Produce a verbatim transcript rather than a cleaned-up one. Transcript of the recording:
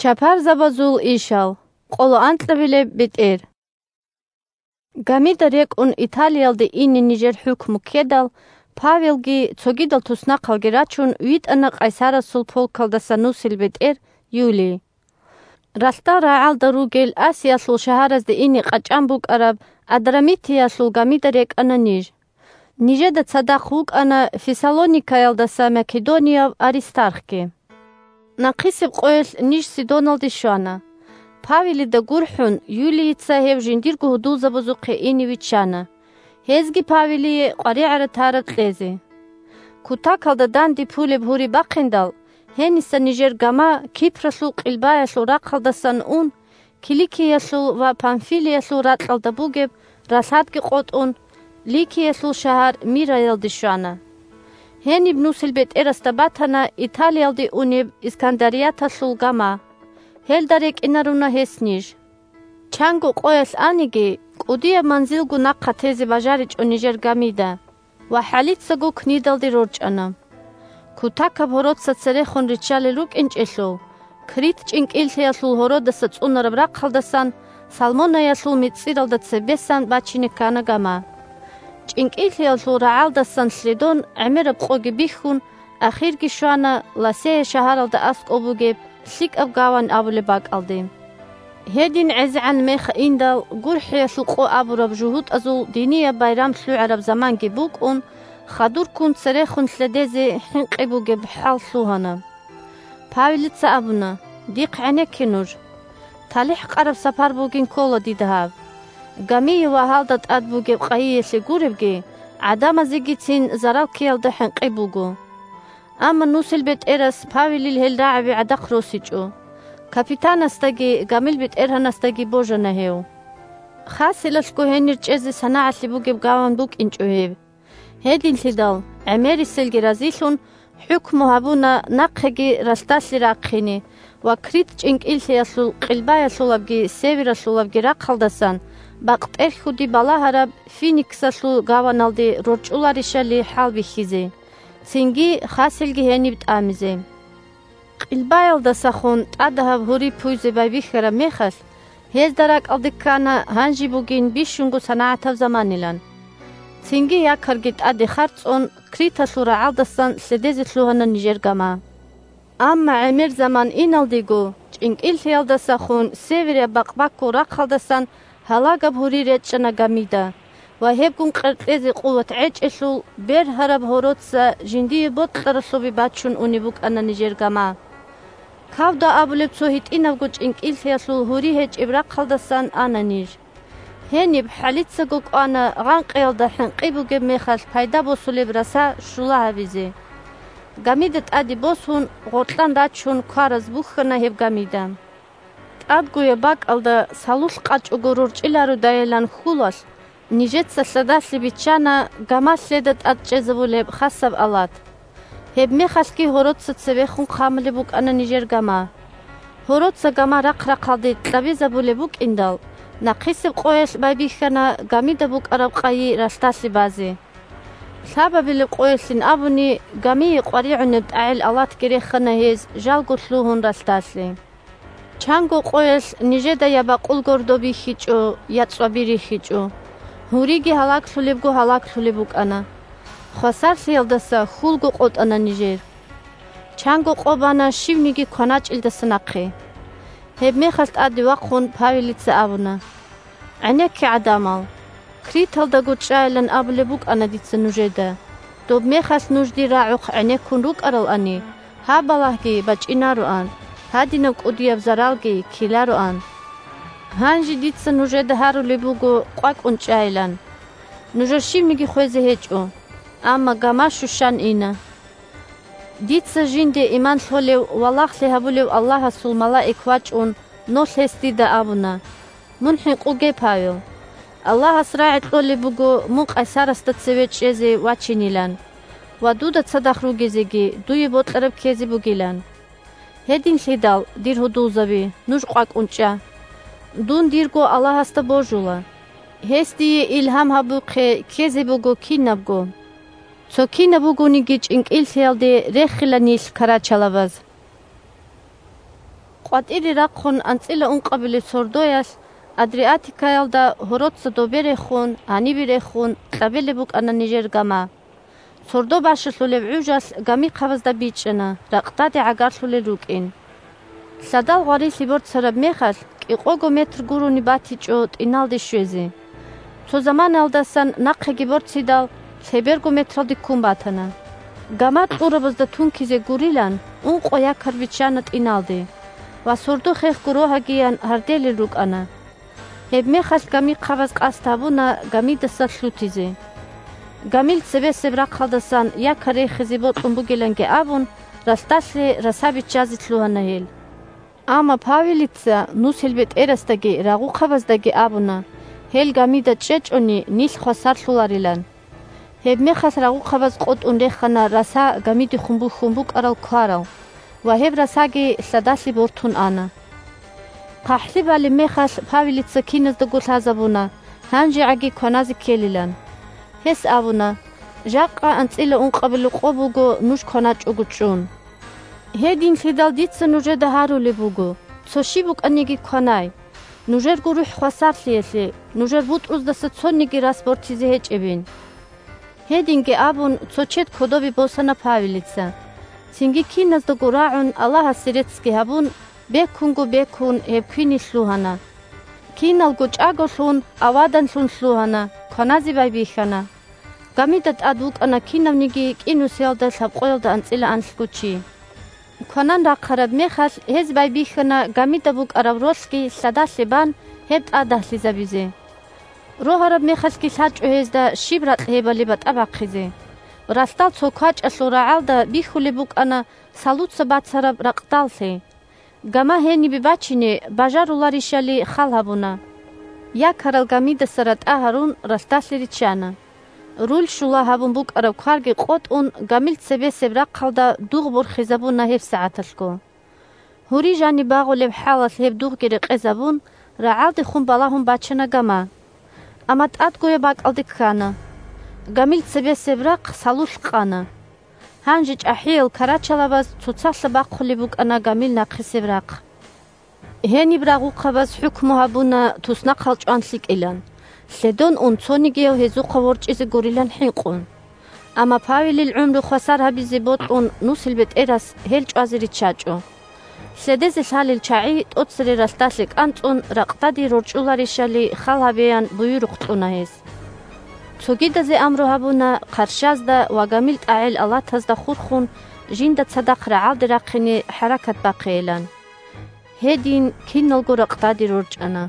Чапарзабазул ишал. Къоло анкьабилеб бетӀер. Гамида рекӀун Италиялде ине нижер хӀукму ккедал, Павелги цогидал туснахъалги рачун витӀана Къайсарасул полкалдаса нусил бетӀер Юлий. Ралъдал рагӀалда ругел Асиялъул шагьаразде ине къачӀан букӀараб Адрамитиялъул гамида рекӀана ниж. Нижеда цадахъ вукӀана Фессалоникаялдаса македонияв Аристархги. Нахъисеб къоялъ ниж Сидоналде щвана. Павелида гурхӀун, Юлийица гьев жиндирго гьудулзабазухъе ине виччана. Гьезги Павелие къваригӀараб тараб кьезе. Кутакалда данде пулеб гьури бахъиндал, гьениса нижер гама Кипралъул къилбаялъул рахъалдасан ун, Киликиялъул ва Памфилиялъул ракьалда бугеб ралъадги къотӀун, Ликиялъул шагьар Мираялде щвана. Гьениб нусил бетӀерасда батана Италиялде унеб Искандарияталъул гама. Гьелда рекӀинаруна гьес ниж. Чанго къоялъ аниги, кӀудияб манзилго нахъа тезе бажаричӀо нижер гамида ва хӀалицаго книдалде рорчӀана. Кутакаб гьороца церехун риччалел рукӀинчӀелъул, Крит чӀинкӀиллъиялъул гьородаса цӀунараб рахъалдасан Салмонаялъул мицӀиралда цебесан бачине ккана гама. ЧӀинкӀиллъиялъул рагӀалдасан лъедон гӀемераб къоги бихьун, ахирги щвана Ласея шагьаралда аскӀоб бугеб лъикӀаб гавань абулеб бакӀалде. Гьедин гӀезегӀан мех индал, гурхӀиялъул къо абураб жугьутӀазул динияб байрам лъугӀараб заманги букӀун, хадурккун церехун лъедезе хӀинкъи бугеб хӀал лъугьана. Павелица абуна: «Дихъ гӀенекке нуж. ТалихӀ къараб сапар бугин ккола дида гьаб. Гамие ва гьалда тӀад бугеб къайиялъе гуребги, гӀадамазегицин зарал ккеялда хӀинкъи буго». Амма нусил бетӀерас Павелил гьел рагӀаби гӀадахъ росичӀо. Капитанасдаги гамил бетӀергьанасдаги божана гьев. Хасилалъго гьенир чӀезе санагӀалъи бугеб гаван букӀинчӀо гьеб. Гьединлъидал, гӀемериселги разилъун, хӀукму гьабуна нахъеги ралъдалъе рахъине ва Крит чӀинкӀиллъиялъул къилбаялъулабги севералъулабги рахъалдасан бакътерхьуди балагьараб Финиксалъул гаваналде рорчӀуларищали хӀалбихьизе, цинги хасилги гьениб тӀамизе. Къилбаялдасахун тӀадагьаб гьури пуйзе байбихьараб мехалъ, гьезда ракӀалде ккана гьанже бугин бищунго санагӀатаб заманилан. Цинги якарги тӀаде харцӀун, Криталъул рагӀалдасан лъедезе лъугьана нижер гама. Амма гӀемер заман иналдего, чӀинкӀиллъиялдасахун северияб бакъбаккул рахъалдасан гьалагаб гьури речӀчӀана гамида ва гьебгун къеркьезе къуват гӀечӀелъул бергьараб гьороца жиндие бокьаралъубе бачун унеб букӀана нижер гама. Кавда абулеб цо гьитӀинабго чӀинкӀиллъиялъул гьури гьечӀеб рахъалдасан ана ниж. Гьениб хӀалицаго кӀвана гъанкъиялда хӀинкъи бугеб мехалъ пайда босулеб раса щула гьабизе. Гамида тӀаде босун, гъоркьан рачун квараз бухьана гьеб гамида. ТӀадгояб бакӀалда салулъ къачӀого рорчӀилародайилан хьулалъ, нижеца лъадалъи биччана гама лъеда тӀад чӀезабулеб хасаб алат. Гьебмехалъги гьороца цевехун хъамулеб букӀана нижер гама. Гьороца гама рахъ-рахъалде кьабизабулеб букӀиндал, нахъисеб къоялъ байбихьана гамида букӀараб къайи ралъдалъе базе. Лъабабилеб къоялъин абуни, гамие къваригӀунеб тӀагӀел алатги рехана гьез жалго лъугьун ралъдалъе. Чанго къоялъ нижеда я бакъул гордо бихьичӀо, я цӀваби рихьичӀо. Гьуриги гьалаглъулебго гьалаглъулеб букӀана. Хвасарлъиялдаса хьулго къотӀана нижер. Чанго къо бана щивниги кваначӀелдаса нахъе. Гьебмехалъ тӀаде вахъун Павелица абуна: «ГӀенекке, гӀадамал! Криталдаго чӀайилан абулеб букӀана дица нужеда. Доб мехалъ нуж дир рагӀухъ гӀенеккун рукӀаралани, гьаб балагьги бачӀинароан, гьадинаб кӀудияб заралги ккелароан. Гьанже дица нужеда гьарулеб буго къвакӀун чӀайилан. Нужер щивниги хвезе гьечӀо, амма гама щущан ина. Дица жинде иман лъолев ва лагълъи гьабулев Аллагьасул малаик вачӀун, нолъ гьес дида абуна: „Мун хӀинкъуге, Павел. Аллагьас рагӀи кьолеб буго мун Къайсарасда цеве чӀезе вачинилан ва дуда цадахъ ругезеги дуе бокьараб ккезе бугилан. Гьединлъидал, дир гьудулзаби, нуж къвакӀун чӀа. Дун дирго Аллагьасда божула. Гьес дие илгьам гьабухъе ккезе буго кинабго. Цо кинаб бугониги чӀинкӀиллъиялде рехила нилъ карачалабаз“. КъватӀире рахъун анцӀила ункъабилеб сордоялъ Адриатикаялда гьороца добе рехун, гьанибе рехун, кьабилеб букӀана нижер гама. Сордо бащалъулеб гӀужалъ гамихъабазда бичӀчӀана, ракъдаде гӀагарлъулел рукӀин. Лъадал гъварилъи борцараб мехалъ, кӀикъого метр гурони батичӀо тӀиналде щвезе. Цо заманаялдасан нахъеги борцидал, лъеберго метралде ккун батана. Гама кьурабазда тункизе гурилан, ункъо якар биччана тӀиналде ва сордо хехго рогьагиян гьарделел рукӀана. Гьебмехалъ гамихъабаз къасд гьабуна гамидаса лъутизе. Гамил цебесеб рахъалдасан якар рехизе бокьун бугиланги абун, ралъдалъе раса биччазе лъугьана гьел. Амма Павелица нусил бетӀерасдаги рагъухъабаздаги абуна, гьел гамида чӀечӀони, нилъ хвасарлъуларилан. Гьебмехалъ рагъухъабаз къотӀун рехана раса гамидехун бухьун букӀарал кварал ва гьеб расаги лъадалъе бортун ана. ХъахӀлъи балеб мехалъ Павелица киназдаго лъазабуна, гьанжегӀаги кваназе ккелилан. Гьес абуна: «Жакъа анцӀила ункъабилеб къо буго нуж кваначӀого чӀун. Гьединлъидал дица нужеда гьарулеб буго, цо щиб букӀаниги кванай, нужерго рухӀ хвасарлъиялъе, нужер бутӀруздаса цониги рас бортизе гьечӀебин». Гьединги абун, цо чед кодобе босана Павелица. Цинги киназдаго рагӀун, Аллагьасе реццги гьабун, бекунго-бекун гьеб квине лъугьана. Киналго чӀаголъун, аваданлъун лъугьана, кваназе байбихьана. Гамида тӀад вукӀана кинавниги кӀинусиялда лъабкъоялда анцӀила анлъго чи. Кванан рахъараб мехалъ, гьез байбихьана гамида букӀараб ролъги лъадалъе бан гьеб тӀадагьлъизабизе. Рогьараб мехалъги лъачӀо гьезда щиб ракь гьебали батӀа бахъизе. Ралъдал цо квачӀалъул рагӀалда бихьулеб букӀана салуца бацараб ракъдаллъи. Гама гьенибе бачине бажаруларищали хал гьабуна. Якарал гамидаса ратӀа гьарун, ралъдалъе риччана. Руль щула гьабун букӀараб кварги къотӀун, гамил цебесеб рахъалда дугъ борхизабуна гьебсагӀаталъго. Гьури жаниб багъулеб хӀалалъ гьеб дугъги рекъезабун, рагӀалдехун балагьун бачана гама. Амма тӀадгояб бакӀалде ккана. Гамил цебесеб рахъ салулъ къана. Гьанже чӀахӀиял карачалабаз цоцалъа бахъулеб букӀана гамил нахъисеб рахъ. Гьениб рагъухъабаз хӀукму гьабуна туснахъал чӀван лъикӀилан, лъедон ун цонигияв гьезухъа ворчӀизе гурилан хӀинкъун. Амма Павелил гӀумру хвасар гьабизе бокьун нусил бетӀерас гьел чӀвазе риччачӀо. Лъедезе лъалел чагӀи тӀоцере ралъдалъе кӀанцӀун ракъдаде рорчӀуларищали хал гьабеян буюрухъ кьуна гьес. Цогидазе амру гьабуна хъарщазда ва гамил тӀагӀел алатазда хурхун жинда цадахъ рагӀалде рахъине хӀаракат бахъейилан. Гьедин киналго ракъдаде рорчӀана.